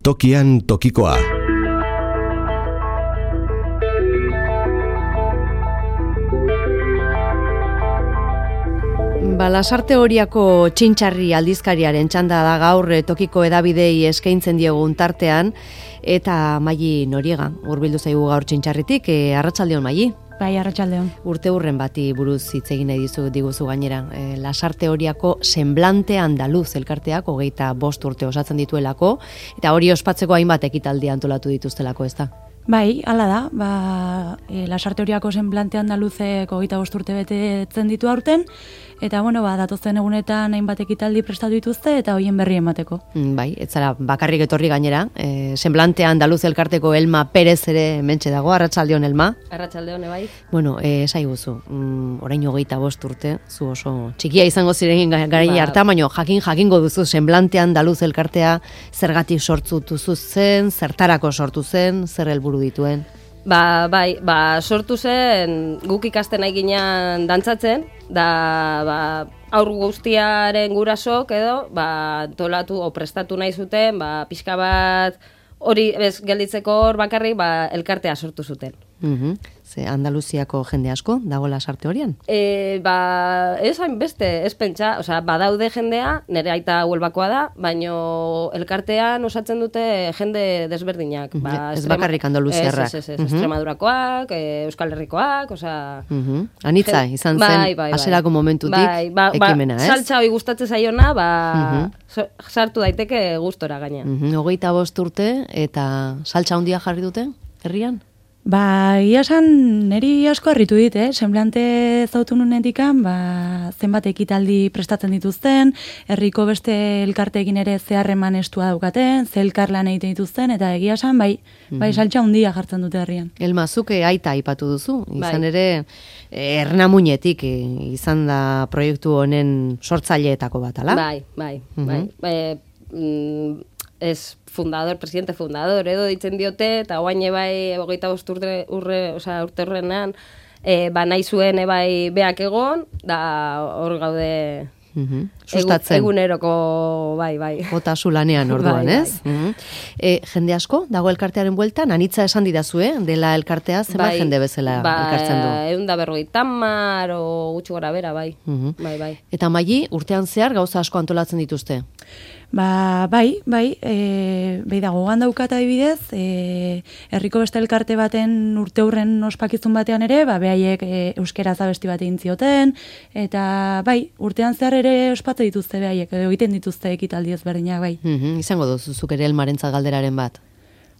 Tokian tokikoa. Lasarte Horiako Txintxarri aldizkariaren txanda da gaur tokiko edabidei eskaintzen diogun tartean, eta Maili Noriega hurbildu zaigu gaur Txintxarritik. Arratsaldeon, Maili. Bai, arratsaldeon. Urte hurren bati buruz hitz egin nahi diguzu gainera. Lasarte Horiako Semblante Andaluz elkarteak 25 urte osatzen dituelako, eta hori ospatzeko hainbat ekitaldi antolatu dituztelako, ezta? Bai, hala da. Lasarte Horiako Semblante Andaluzek 25 urte betetzen ditu aurten, eta datozen egunetan hainbat ekitaldi prestatu dituzte eta hoien berri emateko. Bai, ez zara bakarrik etorri gainera. Semblante Andaluz elkarteko Elma Perez ere hementxe dago. Arratsaldeon, Elma. Arratsaldeon, bai. Esaiguzu, orain 25 urte, zu oso txikia izango ziren garai harta, baina jakingo duzu Semblante Andaluz elkartea zergatik sortu zen, zertarako sortu zen, zer helburu dituen? Sortu zen guk ikasten nahi ginean dantzatzen, da aur guztiaren gurasok edo tolatu o prestatu nahi zuten, pixka bat hori gelditzeko hor bakarrik elkartea sortu zuten. Ze Andaluziako jende asko dago Lasarte Horian? Ez hainbeste, ez pentsa, badaude jendea, nire aita Huelbakoa da, baino elkartean osatzen dute jende desberdinak. Ez bakarrik andaluziarrak. Ez, Extremadurakoak, Euskal Herrikoak, Anitza, izan zen, hasierako momentutik ekimena, ez? Saltza hori gustatzen zaiona, sartu daiteke gustora gainean. 25 urte, eta saltza handia jarri dute, herrian? Ia esan, niri asko harritu dit, Semblante zautu nunetikan, zenbat ekitaldi prestatzen dituzten, herriko beste elkarteekin ere zeharreman estua daukaten, ze elkarlan egiten dituzten, eta egia esan, saltza handia jartzen dute herrian. Elma, zuke aita aipatu duzu, izan ere, Ernamuinetik izan da proiektu honen sortzaileetako bat, ala? Bai. Presidente fundador edo ditzen diote, eta oain ebai 25 urte horrenan nahi zuen ebai beak egon, da hor gaude sustatzen. Eguneroko, bai. Jota zulanean orduan, ez? Jende asko, dago elkartearen bueltan, Anitza esan didazue, dela elkartea, zenbat jende bezala elkartzen du? 150 o gutxi gora bera, bai. Eta Maili, urtean zehar gauza asko antolatzen dituzte? Bai, dago daukat adibidez, herriko beste elkarte baten urte hurren ospakizun batean ere, behaiek euskeraz abesti bat egin zioten, eta urtean zehar ere ospatze dituzte behaiek, egiten dituzte ekitaldi ezberdinak, bai. Izango duzuzuk ere Elmarentzat galderaren bat?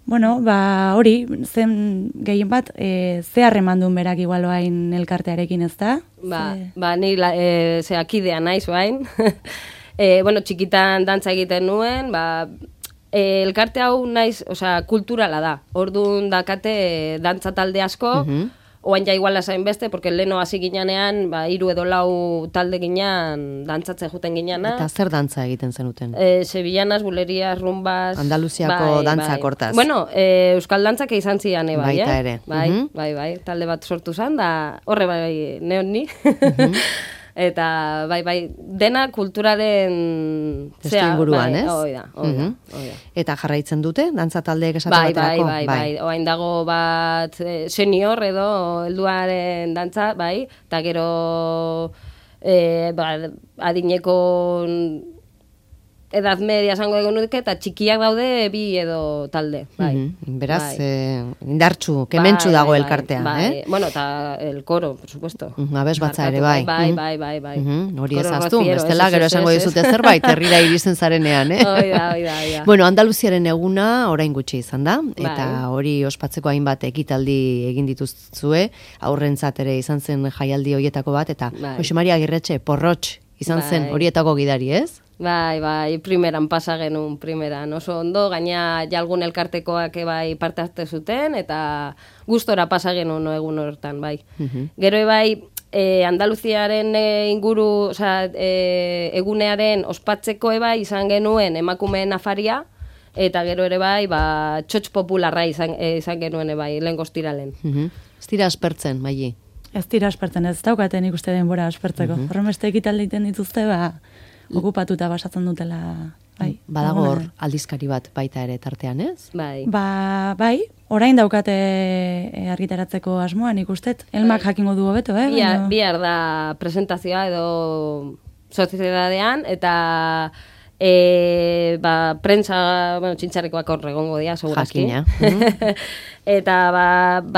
Hori, zen gehien bat, zeharreman duen berak igualoain elkartearekin, ez da? Ni akidea naiz bain. Txikitan dantza egiten nuen, elkarte hau naiz, kulturala da. Orduan dakate dantza talde asko, oain ja iguala zain beste, porque leno hasi ginean, 3 edo 4 talde ginean dantzatzen juten gineana. Eta zer dantza egiten zenuten? Sevillanas, bulerias, rumbas... Andaluziako dantzak hortaz. Euskal dantzak izan zian, Baita ere. Bai, talde bat sortu zen, da horre neon ni. Eta, dena kulturaren... Testu inguruan, ez? Hoi da. Eta jarraitzen dute, dantza taldeek esatu baterako? Bai. Oain dago bat senior edo helduaren dantza, eta gero adineko edad media esango egon nuke, eta txikiak daude 2 edo talde. Beraz, indartxu, kementxu dago elkartea, eta el coro, por supuesto. Abez batza ere, bai. Bai. Hori ezaztu, bestela, gero esango dizute zerbait, herrira iristen zarenean, Oida. Andaluziaren eguna orain gutxi izan da, eta hori ospatzeko hainbat ekitaldi egin dituzue, aurrentzat ere izan zen jaialdi horietako bat, eta Jose Maria Agirretxe, Porrotx izan zen horietako gidari, ez? Bai, primeran pasa genuen, oso ondo, gaina jalgun elkartekoak parte hartu zuten, eta gustora pasa genuen egun hortan, bai. Gero Andaluziaren inguru, egunearen ospatzeko izan genuen emakumeen afaria, eta gero ere txotx popularra izan genuen lehen goztiralen. Ez dira aspertzen, Maili? Ez dira aspertzen, ez daukaten ikuste denbora aspertzeko. Horren beste ekitaldi egiten dituzte, okupatuta basatzen dutela bai. Badago hor aldizkari bat baita ere tartean, ez? Bai. Bai, orain daukate argitaratzeko asmoa, nik ustet. Elmak jakingo du hobeto, Bihar da presentazioa edo soziedadean, eta prentsa, txintxarekoak hor egongo dira, segurazki. Jakina. Eta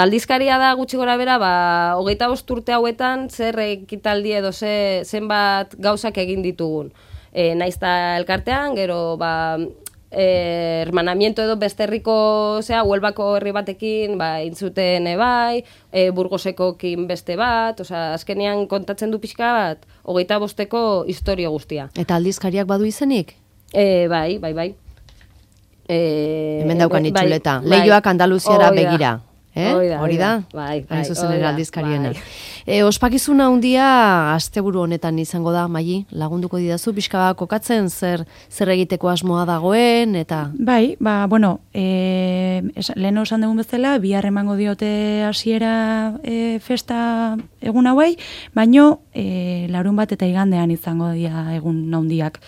aldizkaria da gutxi gora bera, 25 urte hauetan zer ekitaldi edo zenbat gauzak egin ditugun. Naizta elkartean, gero hermanamiento edo beste herriko, Huelbako herri batekin, intzuten bai, Burgosekokin beste bat, azkenean kontatzen du pixka bat, 25eko historio guztia. Eta aldizkariak badu izenik? Bai. Hemen daukan itxuleta. Leioak Andaluziara begira. Hori da? Bai. Hain zuzen ere aldizkariena. Ospakizuna handia asteburu honetan izango da, Maili, lagunduko didazu, pixka kokatzen zer egiteko asmoa dagoen, eta... Bai, lehen osan dugun bezala, bihar emango diote hasiera festa egun hauei, baino larun bat eta igandean izango dira egun handiak.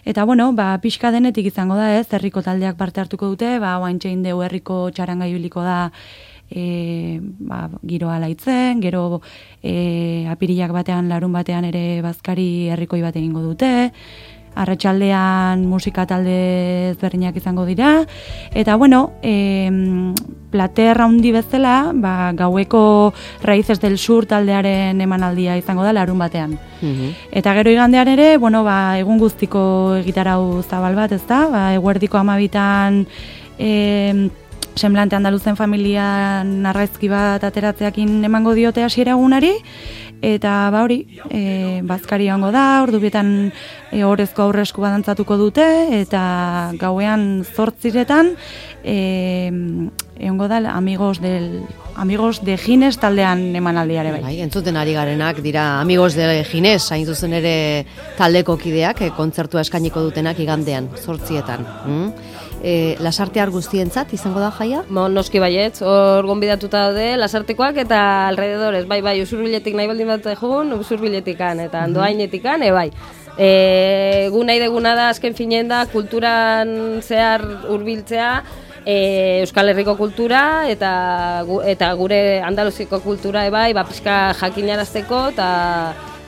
Eta, pixka denetik izango da, herriko taldeak parte hartuko dute, oaintxein deu herriko txaranga ibiliko da, giroa laitzen, gero apirilak batean, larun batean ere bazkari herrikoi bat egingo dute, arratsaldean musika talde ezberdinak izango dira, eta plater handi bezala, gaueko Raíces del Sur taldearen emanaldia izango da larun batean. Eta gero igandean ere, egun guztiko egitarau zabal bat, ezta? Eguerdiko 12an Semblante Andaluzen familian argazki bat ateratzeakin emango diote hasiera egunari, eta bazkari egongo da, ordubietan orezko aurresku badantzatuko dute, eta gauean 8:00 egongo da Amigos de Gines taldean emanaldiare bai. Entzuten ari garenak dira Amigos de Gines, hain zuzen ere taldeko kideak, kontzertua eskainiko dutenak igandean, 8:00. Lasartear guztientzat izango da jaia? Noski baietz, hor gonbidatuta daude lasartekoak eta alrededores, bai, Usurbiletik nahi baldin bat egun, Usurbiletikan eta Andoainetikan, bai. Gu nahi deguna da, azken finen da, kulturan zehar hurbiltzea, Euskal Herriko kultura eta gure Andaluziko kultura, bai, pixka jakinarazteko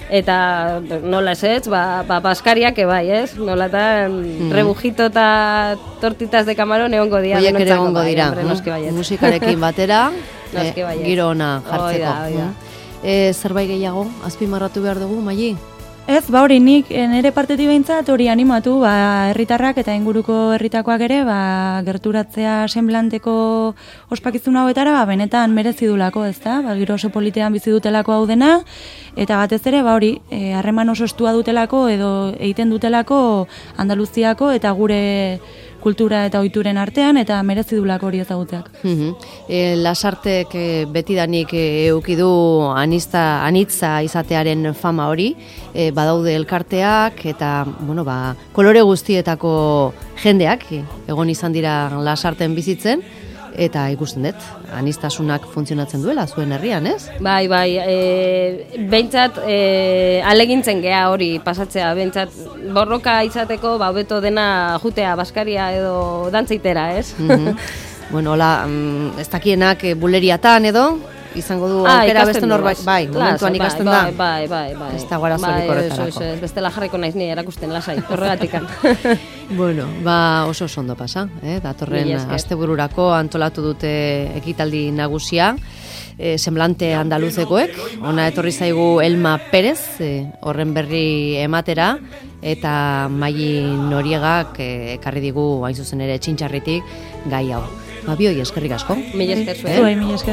eta nola ez, baskariak bai, ez? Nolatan rebujito eta tortitas de camarón egongo dira. Oiek ere egongo dira, musikarekin batera, giro ona jartzeko. Zerbait gehiago, azpimarratu behar dugu, Maili? Ez, nik nire partetik behintzat hori animatu, herritarrak eta inguruko herritakoak ere, gerturatzea Semblanteko ospakizun hauetara, benetan merezi dulako, ez da? Giro oso politean bizi dutelako hau dena, eta batez ere, harreman oso estua dutelako edo egiten dutelako Andaluziako eta gure kultura eta ohituren artean, eta merezi dulako hori ezagutzeak. Lasartek betidanik eukidu anitza izatearen fama hori, badaude elkarteak eta kolore guztietako jendeak egon izan dira Lasarten bizitzen, eta ikusten dut, aniztasunak funtzionatzen duela zuen herrian, ez? Bai, behintzat alegintzen gea hori pasatzea, behintzat borroka izateko hobeto dena jutea, baskaria edo dantzaitera, ez? Ez dakienak buleriatan edo, izango du aukera beste norbait, momentuan ikasten da. Bai. Ez da guarazorik horretarako. Bestela jarriko naiz ni erakusten lasai, horregatikan. Oso ondo pasa, datorren astebururako antolatu dute ekitaldi nagusia, Semblante Andaluzekoek, ona etorri zaigu Elma Perez, horren berri ematera, eta Maili Noriegak ekarri digu hain zuzen ere Txintxarritik gai hau. Bioi, eskerrik asko. Mila esker zuen. Zuei, mila esker.